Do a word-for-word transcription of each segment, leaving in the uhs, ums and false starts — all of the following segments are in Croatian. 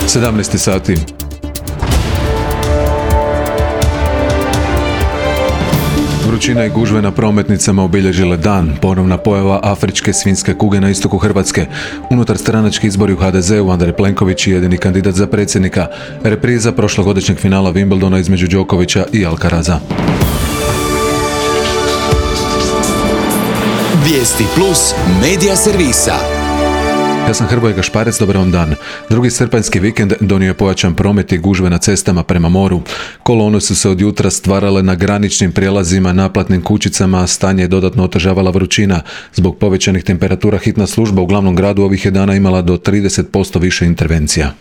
sedamnaest sati. Vrućina i gužve na prometnicama obilježile dan. Ponovna pojava afričke svinjske kuge na istoku Hrvatske. Unutar stranački izbori u ha de zeu, Andrej Plenković je jedini kandidat za predsjednika. Repriza prošlogodišnjeg finala Wimbledona između Đokovića i Alcaraza. Vijesti plus medija servisa. Ja sam Hrvoje Gašparec, dobar vam dan. Drugi srpanjski vikend donio je pojačan promet i gužve na cestama prema moru. Kolone su se od jutra stvarale na graničnim prijelazima, naplatnim kućicama, a stanje je dodatno otežavala vrućina. Zbog povećanih temperatura hitna služba u glavnom gradu ovih je dana imala do trideset posto više intervencija.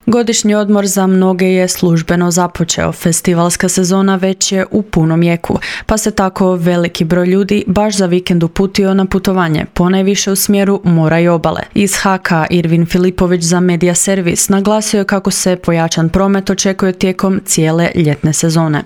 Godišnji odmor za mnoge je službeno započeo. Festivalska sezona već je u punom jeku, pa se tako veliki broj ljudi baš za vikend uputio na putovanje, ponajviše u smjeru mora i obale. Iz ha ka Irvin Filipović za Media Servis naglasio je kako se pojačan promet očekuje tijekom cijele ljetne sezone.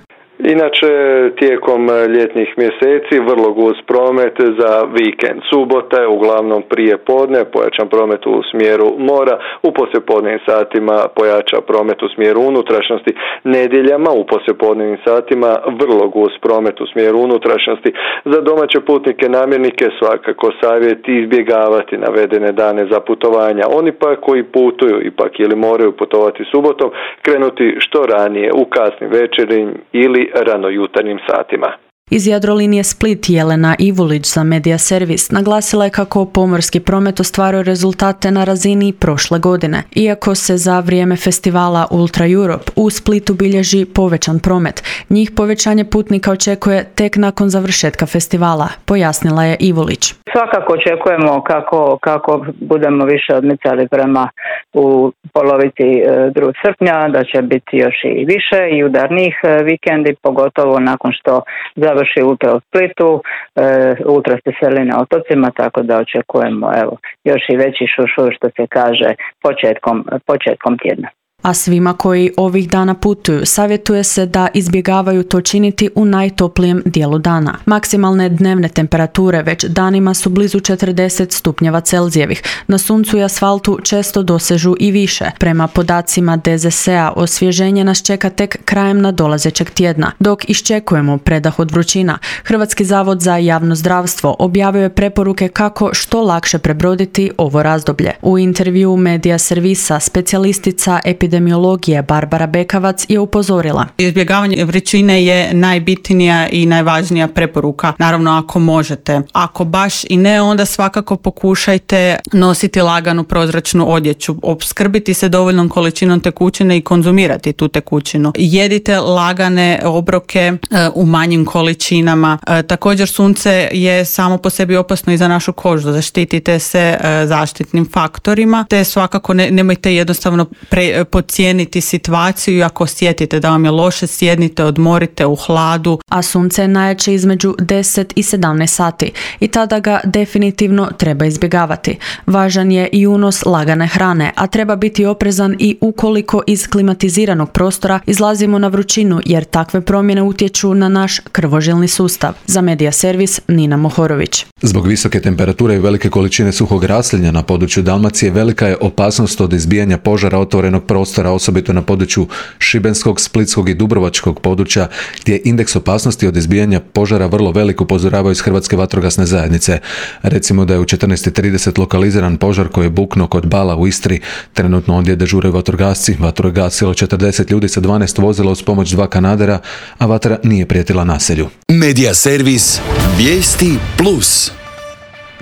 Inače, tijekom ljetnih mjeseci vrlo gust promet za vikend. Subota je uglavnom prije podne, pojačan promet u smjeru mora, u poslijepodnevnim satima pojača promet u smjeru unutrašnjosti. Nedjeljama u poslijepodnevnim satima vrlo gust promet u smjeru unutrašnjosti. Za domaće putnike namjernike svakako savjet izbjegavati navedene dane za putovanja. Oni pa koji putuju ipak ili moraju putovati subotom, krenuti što ranije u kasnim večernjim ili rano jutarnjim satima. Iz Jadrolinije Split Jelena Ivulić za Media Servis naglasila je kako pomorski promet ostvaruje rezultate na razini prošle godine. Iako se za vrijeme festivala Ultra Europe u Splitu bilježi povećan promet, njih povećanje putnika očekuje tek nakon završetka festivala, pojasnila je Ivulić. Svakako očekujemo kako, kako budemo više odmicali prema u polovici drugog srpnja, da će biti još i više i udarnih vikendi, pogotovo nakon što završi Ultra u Splitu, e, Ultra se seli na otocima, tako da očekujemo evo, još i veći šušur što se kaže početkom, početkom tjedna. A svima koji ovih dana putuju savjetuje se da izbjegavaju to činiti u najtoplijem dijelu dana. Maksimalne dnevne temperature već danima su blizu četrdeset stupnjeva Celzijevih. Na suncu i asfaltu često dosežu i više. Prema podacima de zet es a osvježenje nas čeka tek krajem nadolazećeg tjedna. Dok iščekujemo predah od vrućina, Hrvatski zavod za javno zdravstvo objavio je preporuke kako što lakše prebroditi ovo razdoblje. U intervju Media Servisa specijalistica epidemiologije Epidemiologije Barbara Bekavac je upozorila. Izbjegavanje vrućine je najbitnija i najvažnija preporuka. Naravno ako možete. Ako baš i ne, onda svakako pokušajte nositi laganu prozračnu odjeću, opskrbiti se dovoljnom količinom tekućine i konzumirati tu tekućinu. Jedite lagane obroke e, u manjim količinama. E, također sunce je samo po sebi opasno i za našu kožu. Zaštitite se e, zaštitnim faktorima, te svakako ne, nemojte jednostavno pre, podcijeniti situaciju i ako osjetite da vam je loše, sjednite, odmorite u hladu. A sunce je najjače između deset i sedamnaest sati i tada ga definitivno treba izbjegavati. Važan je i unos lagane hrane, a treba biti oprezan i ukoliko iz klimatiziranog prostora izlazimo na vrućinu jer takve promjene utječu na naš krvožilni sustav. Za Media Servis Nina Mohorović. Zbog visoke temperature i velike količine suhog raslinja na području Dalmacije velika je opasnost od izbijanja požara otvorenog prostora, osobito na području Šibenskog, Splitskog i Dubrovačkog područja, gdje je indeks opasnosti od izbijanja požara vrlo velik, upozoravaju iz Hrvatske vatrogasne zajednice. Recimo da je u četrnaest i trideset lokaliziran požar koji je buknuo kod Bala u Istri. Trenutno ondje dežuraju vatrogasci. Vatru je gasilo četrdeset ljudi sa dvanaest vozila uz pomoć dva kanadera, a vatra nije prijetila naselju. Media Servis. Vijesti plus.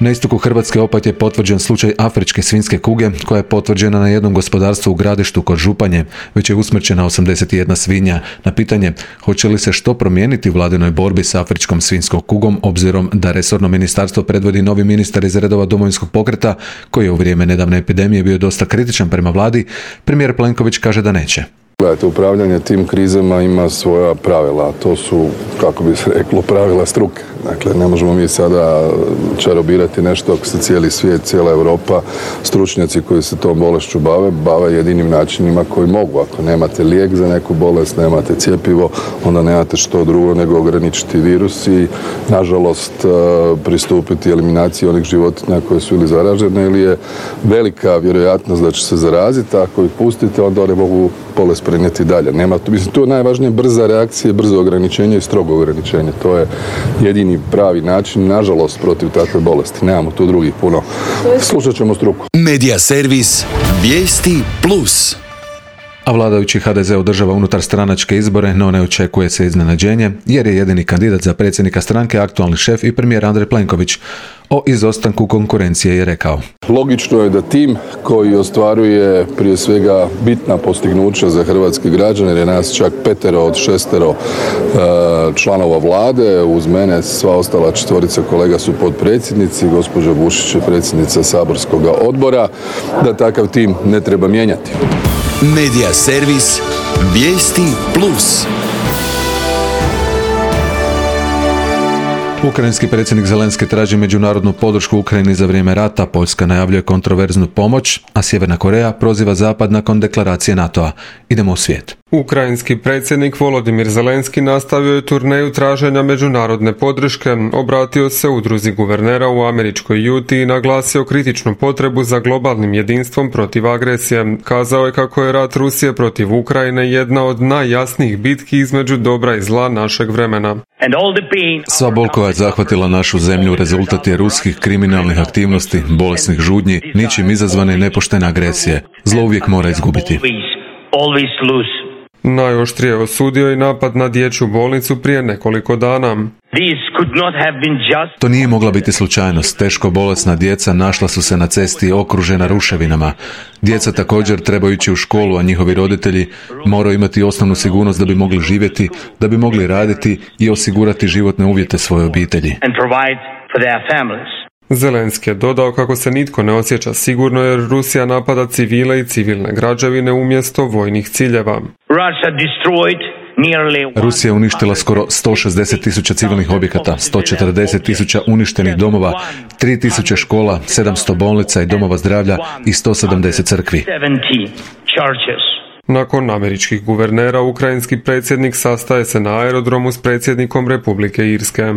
Na istoku Hrvatske opet je potvrđen slučaj afričke svinjske kuge koja je potvrđena na jednom gospodarstvu u Gradištu kod Županje. Već je usmrćena osamdeset jedna svinja. Na pitanje hoće li se što promijeniti u vladinoj borbi s afričkom svinjskom kugom, obzirom da resorno ministarstvo predvodi novi ministar iz redova Domovinskog pokreta koji je u vrijeme nedavne epidemije bio dosta kritičan prema vladi, premijer Plenković kaže da neće. Gledajte, upravljanje tim krizama ima svoja pravila, to su, kako bi se reklo, pravila struke. Dakle, ne možemo mi sada čarobirati nešto ako se cijeli svijet, cijela Europa, stručnjaci koji se tom bolešću bave, bave jedinim načinima koji mogu. Ako nemate lijek za neku bolest, nemate cjepivo, onda nemate što drugo nego ograničiti virus i, nažalost, pristupiti eliminaciji onih životinja koje su ili zaražene ili je velika vjerojatnost da će se zaraziti. Ako ih pustite, onda one mogu bolest prenijeti dalje. Nema, mislim, tu je najvažnije brza reakcija, brzo ograničenje i strogo ograničenje. To je jedini pravi način, nažalost, protiv takve bolesti. Nemamo tu drugih puno. Slušat ćemo struku. Medija servis Vijesti plus. A vladajući ha de ze održava unutar stranačke izbore, no ne očekuje se iznenađenje, jer je jedini kandidat za predsjednika stranke aktualni šef i premijer Andrej Plenković. O izostanku konkurencije je rekao: Logično je da tim koji ostvaruje prije svega bitna postignuća za hrvatske građane, jer je nas čak petero od šestero članova vlade, uz mene sva ostala četvorica kolega su potpredsjednici, gospođa Bušić je predsjednica saborskog odbora, da takav tim ne treba mijenjati. Medija servis Vijesti plus. Ukrajinski predsjednik Zelenski traži međunarodnu podršku Ukrajini za vrijeme rata, Poljska najavljuje kontroverznu pomoć, a Sjeverna Koreja proziva Zapad nakon deklaracije NATO-a. Idemo u svijet. Ukrajinski predsjednik Volodimir Zelenski nastavio je turneju traženja međunarodne podrške, obratio se udruzi guvernera u američkoj Juti i naglasio kritičnu potrebu za globalnim jedinstvom protiv agresije. Kazao je kako je rat Rusije protiv Ukrajine jedna od najjasnijih bitki između dobra i zla našeg vremena. Sva bol koja je zahvatila našu zemlju rezultat je ruskih kriminalnih aktivnosti, bolesnih žudnji, ničim izazvane i nepoštene agresije. Zlo uvijek mora izgubiti. Najoštrije osudio i napad na dječju bolnicu prije nekoliko dana. To nije mogla biti slučajnost. Teško bolesna djeca našla su se na cesti okružena ruševinama. Djeca također trebaju ići u školu, a njihovi roditelji moraju imati osnovnu sigurnost da bi mogli živjeti, da bi mogli raditi i osigurati životne uvjete svoje obitelji. Zelenski je dodao kako se nitko ne osjeća sigurno jer Rusija napada civile i civilne građevine umjesto vojnih ciljeva. Rusija je uništila skoro sto šezdeset tisuća civilnih objekata, sto četrdeset tisuća uništenih domova, tri tisuće škola, sedamsto bolnica i domova zdravlja i sto sedamdeset crkvi. Nakon američkih guvernera, ukrajinski predsjednik sastaje se na aerodromu s predsjednikom Republike Irske.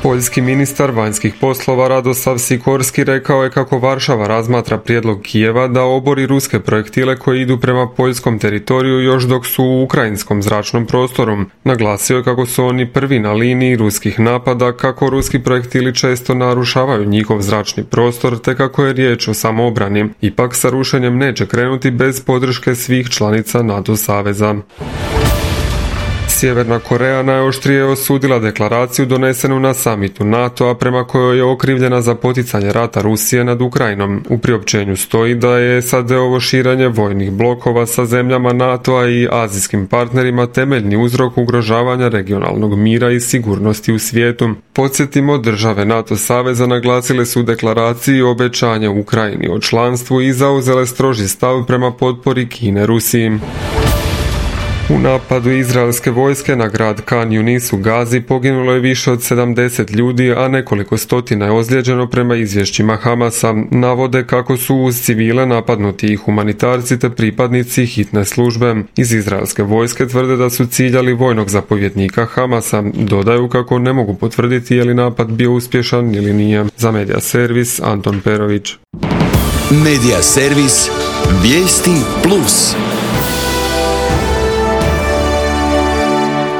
Poljski ministar vanjskih poslova Radosav Sikorski rekao je kako Varšava razmatra prijedlog Kijeva da obori ruske projektile koji idu prema poljskom teritoriju još dok su u ukrajinskom zračnom prostoru. Naglasio je kako su oni prvi na liniji ruskih napada, kako ruski projektili često narušavaju njihov zračni prostor, te kako je riječ o samoobrani. Ipak sa rušenjem neće krenuti bez podrške svih članica NATO saveza. Sjeverna Koreja najoštrije osudila deklaraciju donesenu na samitu NATO-a prema kojoj je okrivljena za poticanje rata Rusije nad Ukrajinom. U priopćenju stoji da je es a de-ovo širenje vojnih blokova sa zemljama NATO-a i azijskim partnerima temeljni uzrok ugrožavanja regionalnog mira i sigurnosti u svijetu. Podsjetimo, države NATO saveza naglasile su u deklaraciji obećanje Ukrajini o članstvu i zauzele stroži stav prema potpori Kine Rusiji. U napadu izraelske vojske na grad Khan Yunis u Gazi poginulo je više od sedamdeset ljudi, a nekoliko stotina je ozlijeđeno prema izvješćima Hamasa. Navode kako su uz civile napadnuti i humanitarci te pripadnici hitne službe. Iz izraelske vojske tvrde da su ciljali vojnog zapovjednika Hamasa. Dodaju kako ne mogu potvrditi je li napad bio uspješan ili nije. Za Medija servis Anton Perović. Medija servis Vijesti plus.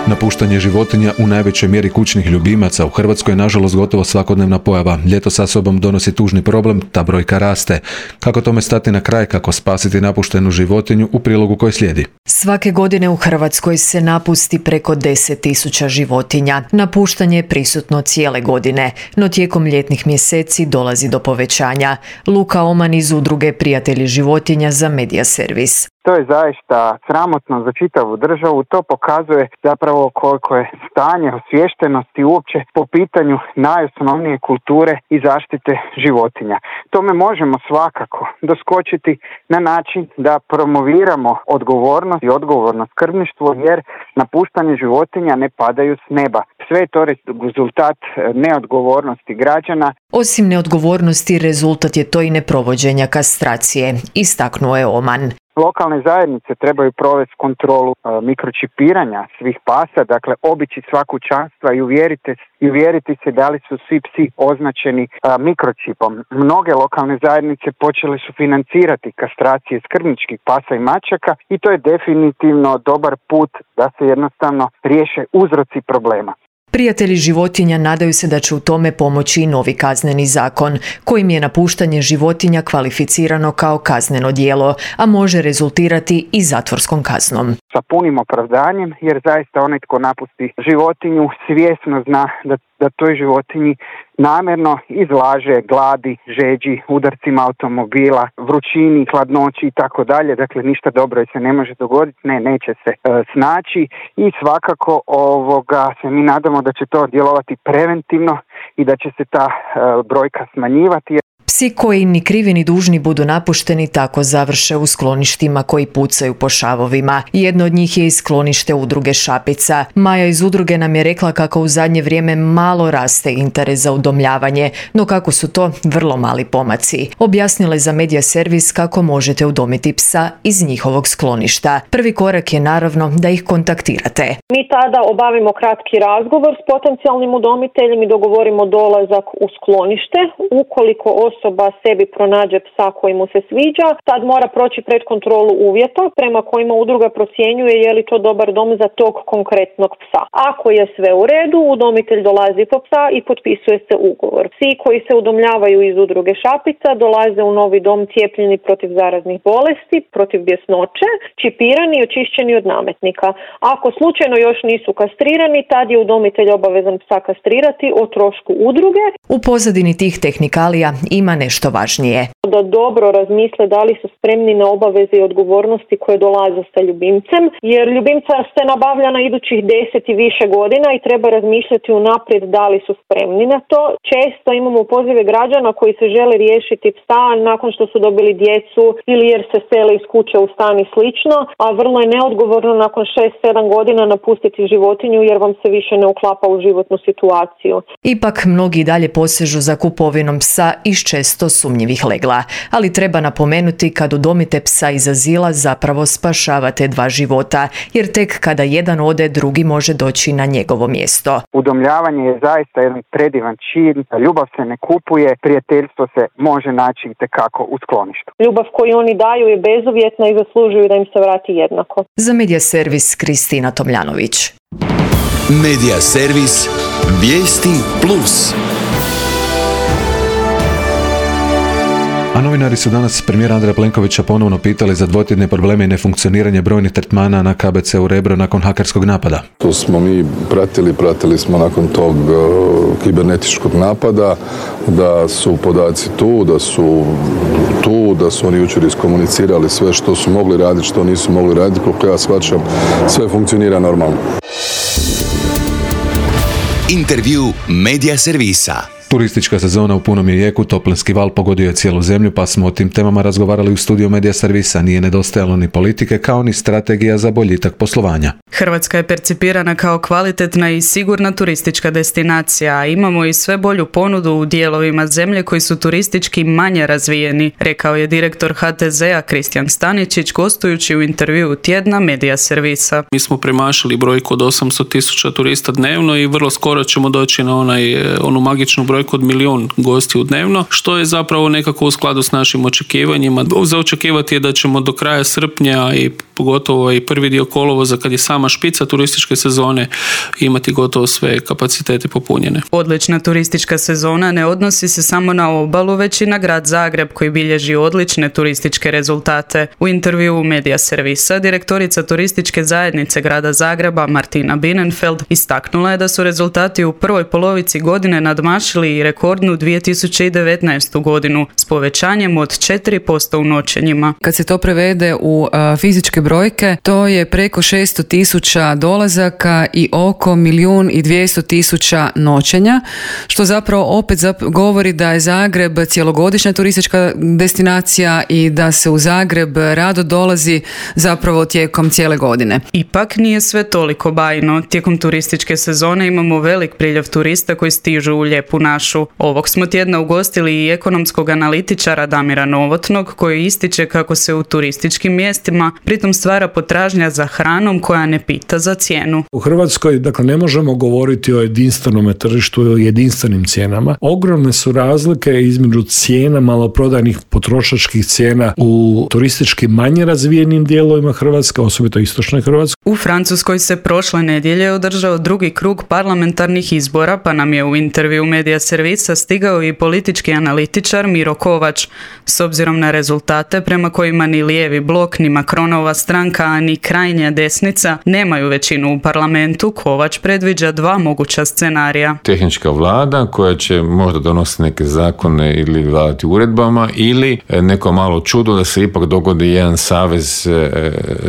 Napuštanje životinja, u najvećoj mjeri kućnih ljubimaca, u Hrvatskoj je nažalost gotovo svakodnevna pojava. Ljeto sa sobom donosi tužni problem, ta brojka raste. Kako tome stati na kraj, kako spasiti napuštenu životinju, u prilogu koji slijedi. Svake godine u Hrvatskoj se napusti preko deset tisuća životinja. Napuštanje je prisutno cijele godine, no tijekom ljetnih mjeseci dolazi do povećanja. Luka Oman iz udruge Prijatelji životinja za Medija servis. To je zaista sramotno za čitavu državu. To pokazuje zapravo koliko je stanje osviještenosti uopće po pitanju najosnovnije kulture i zaštite životinja. Tome možemo svakako doskočiti na način da promoviramo odgovornost i odgovorno skrbništvo, jer napuštanje životinja ne padaju s neba. Sve je to rezultat neodgovornosti građana. Osim neodgovornosti, rezultat je to i neprovođenja kastracije, istaknuo je Oman. Lokalne zajednice trebaju provesti kontrolu e, mikročipiranja svih pasa, dakle obići sva kućanstva i uvjeriti, i uvjeriti se da li su svi psi označeni e, mikročipom. Mnoge lokalne zajednice počele su financirati kastracije skrbničkih pasa i mačaka i to je definitivno dobar put da se jednostavno riješe uzroci problema. Prijatelji životinja nadaju se da će u tome pomoći i novi kazneni zakon, kojim je napuštanje životinja kvalificirano kao kazneno djelo, a može rezultirati i zatvorskom kaznom. Sa punim opravdanjem, jer zaista onaj tko napusti životinju svjesno zna da, da toj životinji namjerno izlaže gladi, žeđi, udarcima automobila, vrućini, hladnoći i tako dalje. Dakle, ništa dobro se ne može dogoditi, ne, neće se e, snaći i svakako ovoga se mi nadamo da će to djelovati preventivno i da će se ta e, brojka smanjivati. Psi koji ni krivi ni dužni budu napušteni tako završe u skloništima koji pucaju po šavovima. Jedno od njih je i sklonište udruge Šapica. Maja iz udruge nam je rekla kako u zadnje vrijeme malo raste interes za udomljavanje, no kako su to vrlo mali pomaci. Objasnila je za Medija Servis kako možete udomiti psa iz njihovog skloništa. Prvi korak je naravno da ih kontaktirate. Mi tada obavimo kratki razgovor s potencijalnim udomiteljem i dogovorimo dolazak u sklonište. Ukoliko osoba sebi pronađe psa koji mu se sviđa, tad mora proći pred kontrolu uvjeta prema kojima udruga procjenjuje je li to dobar dom za tog konkretnog psa. Ako je sve u redu, udomitelj dolazi po psa i potpisuje se ugovor. Psi koji se udomljavaju iz udruge Šapica dolaze u novi dom cijepljeni protiv zaraznih bolesti, protiv bjesnoće, čipirani i očišćeni od nametnika. Ako slučajno još nisu kastrirani, tad je udomitelj obavezan psa kastrirati o trošku udruge. U pozadini tih tehnikalija ima nešto važnije. Da dobro razmisle da li su spremni na obaveze i odgovornosti koje dolaze sa ljubimcem, jer ljubimca se nabavlja na idućih deset i više godina i treba razmišljati unaprijed da li su spremni na to. Često imamo pozive građana koji se žele riješiti psa nakon što su dobili djecu ili jer se sele iz kuće u stan i slično, a vrlo je neodgovorno nakon šest sedam godina napustiti životinju jer vam se više ne uklapa u životnu situaciju. Ipak mnogi dalje posežu za kupovinom psa iz često sumnjivih legla, ali treba napomenuti kad udomite psa iz azila zapravo spašavate dva života, jer tek kada jedan ode, drugi može doći na njegovo mjesto. Udomljavanje je zaista jedan predivan čin, ljubav se ne kupuje, prijateljstvo se može naći itekako u skloništu. Ljubav koju oni daju je bezuvjetna i zaslužuju da im se vrati jednako. Za Medija Servis Kristina Tomljanović. Medija Servis, vijesti plus. A novinari su danas premijera Andreja Plenkovića ponovno pitali za dvotjedne probleme i nefunkcioniranje brojnih tretmana na K B C-u Rebro nakon hakerskog napada. To smo mi pratili, pratili smo nakon tog uh, kibernetičkog napada, da su podaci tu, da su tu, da su oni jučer iskomunicirali sve što su mogli raditi, što nisu mogli raditi, koliko ja shvaćam, sve funkcionira normalno. Intervju Medija Servisa. Turistička sezona u punom je jeku, toplinski val pogodio je cijelu zemlju, pa smo o tim temama razgovarali u studiju Medija Servisa. Nije nedostajalo ni politike, kao ni strategija za boljitak poslovanja. Hrvatska je percipirana kao kvalitetna i sigurna turistička destinacija, a imamo i sve bolju ponudu u dijelovima zemlje koji su turistički manje razvijeni, rekao je direktor H T Z-a Kristijan Staničić gostujući u intervjuu tjedna Medija Servisa. Mi smo premašili brojku od osamsto tisuća turista dnevno i vrlo skoro ćemo doći na onaj, onu magičnu brojku od milijun gostiju dnevno, što je zapravo nekako u skladu s našim očekivanjima. Za očekivati je da ćemo do kraja srpnja i pogotovo i prvi dio kolovoza, kad je sama špica turističke sezone, imati gotovo sve kapacitete popunjene. Odlična turistička sezona ne odnosi se samo na obalu, već i na grad Zagreb koji bilježi odlične turističke rezultate. U intervjuu Medija Servisa direktorica turističke zajednice grada Zagreba Martina Binenfeld istaknula je da su rezultati u prvoj polovici godine nadmašili i rekordnu dvije tisuće devetnaestu godinu s povećanjem od četiri posto u noćenjima. Kad se to prevede u a, fizičke brojke, to je preko šesto tisuća dolazaka i oko milijun i dvjesto tisuća noćenja, što zapravo opet zap- govori da je Zagreb cjelogodišnja turistička destinacija i da se u Zagreb rado dolazi zapravo tijekom cijele godine. Ipak nije sve toliko bajno. Tijekom turističke sezone imamo velik priljev turista koji stižu u lijepu našu. Ovog smo tjedna ugostili i ekonomskog analitičara Damira Novotnog koji ističe kako se u turističkim mjestima pritom stvara potražnja za hranom koja ne pita za cijenu. U Hrvatskoj, dakle, ne možemo govoriti o jedinstvenom tržištu i jedinstvenim cijenama. Ogromne su razlike između cijena maloprodajnih potrošačkih cijena u turistički manje razvijenim dijelovima Hrvatske, osobito istočnoj Hrvatskoj. U Francuskoj se prošle nedjelje održao drugi krug parlamentarnih izbora, pa nam je u intervju Medija Servisa stigao i politički analitičar Miro Kovač. S obzirom na rezultate prema kojima ni lijevi blok, ni Macronova stranka, a ni krajnja desnica nemaju većinu u parlamentu, Kovač predviđa dva moguća scenarija. Tehnička vlada koja će možda donositi neke zakone ili vladati uredbama, ili neko malo čudo da se ipak dogodi jedan savez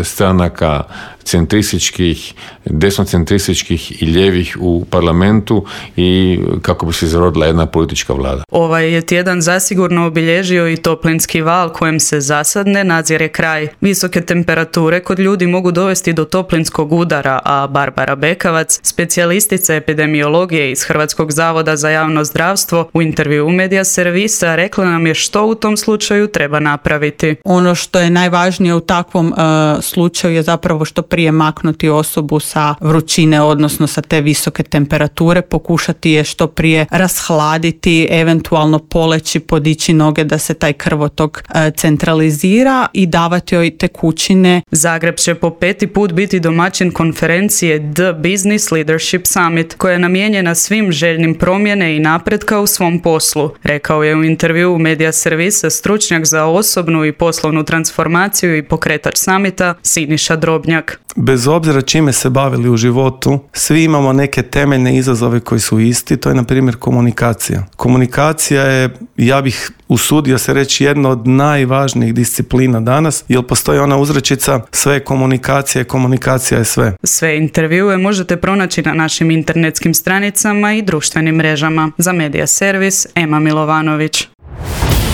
stranaka centrističkih, desnocentrističkih i ljevih u parlamentu i kako bi se izrodila jedna politička vlada. Ovaj je tjedan zasigurno obilježio i toplinski val kojem se zasad ne nadzire kraj. Visoke temperature kod ljudi mogu dovesti do toplinskog udara, a Barbara Bekavac, specijalistica epidemiologije iz Hrvatskog zavoda za javno zdravstvo, u intervju Medija Servisa rekla nam je što u tom slučaju treba napraviti. Ono što je najvažnije u takvom uh, slučaju je zapravo što prije maknuti osobu sa vrućine, odnosno sa te visoke temperature, pokušati je što prije rashladiti, eventualno poleći, podići noge da se taj krvotok e, centralizira i davati joj tekućine. Zagreb će po peti put biti domaćin konferencije The Business Leadership Summit, koja je namijenjena svim željnim promjene i napretka u svom poslu, rekao je u intervju Medija Servisa stručnjak za osobnu i poslovnu transformaciju i pokretač samita Siniša Drobnjak. Bez obzira čime se bavili u životu, svi imamo neke temeljne izazove koji su isti, to je na primjer komunikacija. Komunikacija je, ja bih usudio se reći, jedna od najvažnijih disciplina danas, jer postoji ona uzrečica sve je komunikacija, komunikacija je sve. Sve intervjue možete pronaći na našim internetskim stranicama i društvenim mrežama. Za Medija Servis, Ema Milovanović.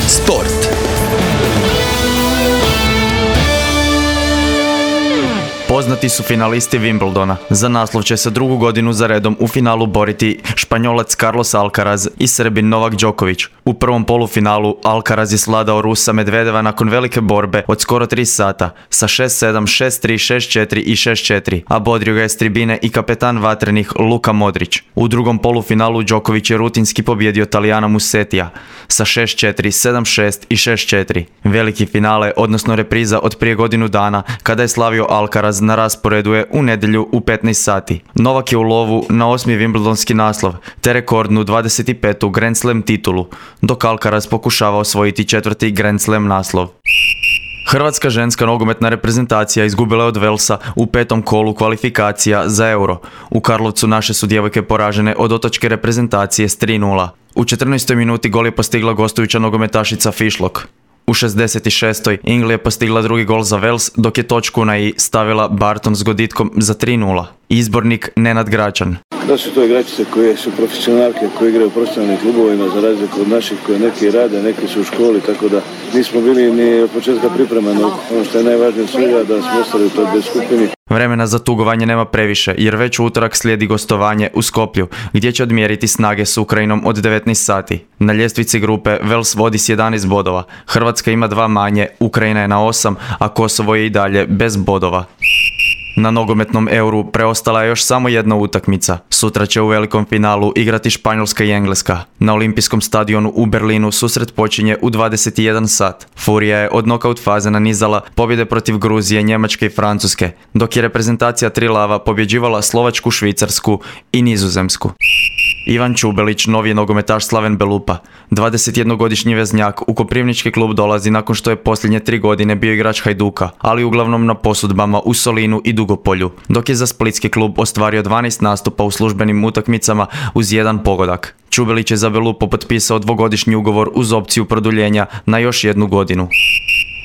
Sport. Poznati su finalisti Wimbledona. Za naslov će se drugu godinu za redom u finalu boriti Španjolac Carlos Alcaraz i Srbin Novak Đoković. U prvom polufinalu Alcaraz je svladao Rusa Medvedeva nakon velike borbe od skoro tri sata sa šest sedam, šest tri, šest četiri i šest četiri, a bodrio ga je s tribine i kapetan vatrenih Luka Modrić. U drugom polufinalu Đoković je rutinski pobjedio Talijana Musetija sa šest četiri, sedam šest i šest četiri. Veliki finale, odnosno repriza od prije godinu dana kada je slavio Alcaraz, na rasporedu je u nedjelju u petnaest sati. Novak je u lovu na osmi Wimbledonski naslov, te rekordnu dvadeset petu Grand Slam titulu, dok Alcaraz pokušava osvojiti četvrti Grand Slam naslov. Hrvatska ženska nogometna reprezentacija izgubila je od Velsa u petom kolu kvalifikacija za Euro. U Karlovcu naše su djevojke poražene od otočke reprezentacije s tri nula. U četrnaestoj minuti gol je postigla gostujuća nogometašica Fišlok. U šezdeset šestoj Ingli je postigla drugi gol za Vels, dok je točku na i stavila Barton s goditkom za tri nula. Izbornik Nenad Gračan. Da su to igračice koje su profesionalke, koje igraju u profesionalnim klubovima za razliku od naših koje neki rade, neki su u školi, tako da nismo bili ni od početka pripremani. Ono što je najvažnije od svega da smo ostali u toj B skupini. Vremena za tugovanje nema previše, jer već u utorak slijedi gostovanje u Skoplju, gdje će odmjeriti snage s Ukrajinom od devetnaest sati. Na ljestvici grupe Vels vodi s jedanaest bodova, Hrvatska ima dva manje, Ukrajina je na osam, a Kosovo je i dalje bez bodova. Na nogometnom Euru preostala je još samo jedna utakmica. Sutra će u velikom finalu igrati Španjolska i Engleska. Na olimpijskom stadionu u Berlinu susret počinje u dvadeset jedan sat. Furija je od nokaut faze nanizala pobjede protiv Gruzije, Njemačke i Francuske, dok je reprezentacija Trilava pobjeđivala Slovačku, Švicarsku i Nizozemsku. Ivan Čubelić, novi je nogometaš Slaven Belupa. dvadesetjednogodišnji veznjak u Koprivnički klub dolazi nakon što je posljednje tri godine bio igrač Hajduka, ali uglavnom na posudbama u Solinu i Dugopolju, dok je za splitski klub ostvario dvanaest nastupa u službenim utakmicama uz jedan pogodak. Čubelić je za Belupo potpisao dvogodišnji ugovor uz opciju produljenja na još jednu godinu.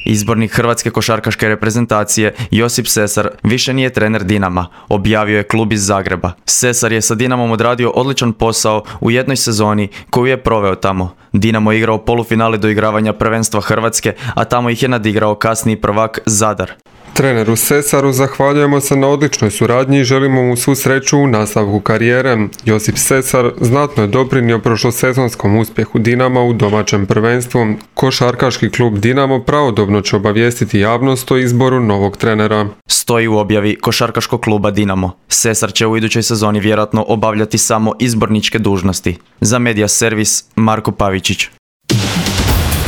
Izbornik hrvatske košarkaške reprezentacije Josip Sesar više nije trener Dinama, objavio je klub iz Zagreba. Sesar je sa Dinamom odradio odličan posao u jednoj sezoni koju je proveo tamo. Dinamo je igrao polufinale doigravanja prvenstva Hrvatske, a tamo ih je nadigrao kasniji prvak Zadar. Treneru Sesaru zahvaljujemo se na odličnoj suradnji i želimo mu svu sreću u nastavku karijere. Josip Sesar znatno je doprinio prošlosezonskom uspjehu Dinama u domaćem prvenstvu. Košarkaški klub Dinamo pravodobno će obavijestiti javnost o izboru novog trenera. Stoji u objavi košarkaškog kluba Dinamo. Sesar će u idućoj sezoni vjerojatno obavljati samo izborničke dužnosti. Za Media Servis Marko Pavičić.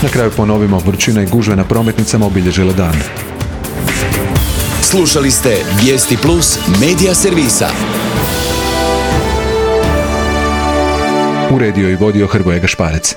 Na kraju ponovimo, vrućina i gužve na prometnicama obilježile dan. Slušali ste Vijesti Plus Media Servisa. Uredio i vodio Hrvoje Gašparec.